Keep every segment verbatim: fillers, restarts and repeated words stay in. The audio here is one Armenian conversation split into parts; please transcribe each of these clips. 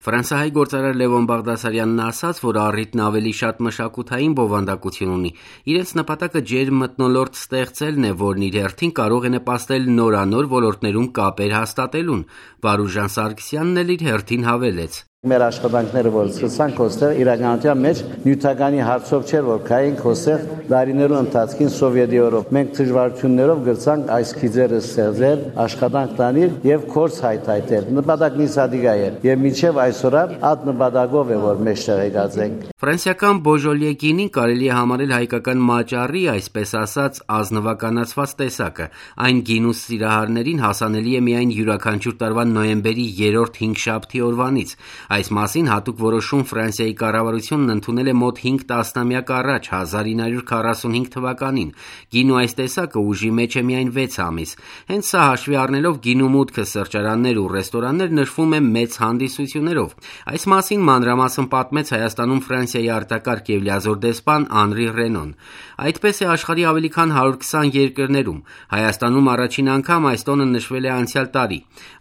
Ֆրանսիահայ գործարար Լևոն Բաղդասարյանն ասաց, որ առիթն ավելի շատ մշակութային բովանդակություն ունի։ Իրենց նպատակը ջերմ մթնոլորտ ստեղծելն է, որն իր հերթին կարող է նպաստել նորանոր ոլորտներում կապեր հաստատելուն։ Վարուժան Սարգսյանն էլ իր հերթին հավելեց. Մեր աշխատանքները, որ սկսանք ոստեղ, իրականության մեջ նյութականի հարցով չէր, որ կայինք ոստեղ դարիներու ընթացքին Սովետի օրոք։ Մենք դժվարություններով գրցանք այս քիզերը ստեղծել, աշխատանք տանել եւ կորս հայթայթել։ Նպատակն իսադիգա էր եւ մինչեւ այսօր այդ նպատակով է, որ մեզ տեղեկած ենք։ Ֆրանսիական Բոժոլիե գինին կարելի է համարել հայկական մաճառի, այսպես ասած, ազնվականացված տեսակը։ Այն գինու սիրահարներին հասանելի է միայն յուրաքանչյուր տարվա նոյեմբերի երրորդ հինգշաբթի օրվանից։ Այս մասին հատուկ որոշում Ֆրանսիայի կառավարությունն ընդունել է մոտ հինգ տասնամյակ առաջ, հազար ինը հարյուր քառասունհինգ թվականին։ Գինու այս տեսակը ուժի մեջ է միայն վեց ամիս։ Հենց սա հաշվի առնելով գինու մուտքը սրճարաններ ու ռեստորաններ նշվում է մեծ հանդիսություններով։ Այս մասին մանրամասն պատմեց Հայաստանում Ֆրանսիայի արտակարգ եւ լիազոր դեսպան Անրի Ռենոն։ Այդպես է աշխարհի ավելի քան հարյուր քսան երկրներում։ Հայաստանում առաջին անգամ այս տոնը նշվել է անցյալ տարի։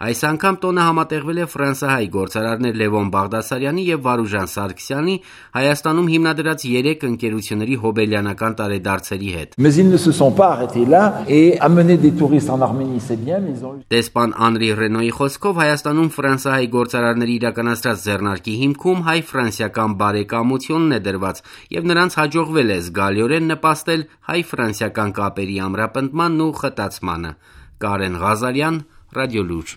Այս անգամ տոնը համատեղվել է ֆրանսահայ գործարարներ Լևոն Բաղդասարյանի եւ Վարուժան Սարգսյանի Հայաստանում հիմնադրած երեք ընկերությունների հոբելյանական տարեդարձերի հետ։ Mais ils ne se sont pas arrêtés là et amener des touristes en Arménie, c'est bien, mais ils ont Դեսպան Անրի Ռենոյի խոսքով Հայաստանում ֆրանսահայ գործարարների իրականացրած ձեռնարկի հիմքում հայ-ֆրանսիական բարեկամությունն է դրված եւ նրանց հաջողվել է զգալիորեն նպաստել հայ-ֆրանսիական կապերի ամրապնդմանն ու խտացմանը։ Կարեն Ղազարյան, Ռադիոլուր։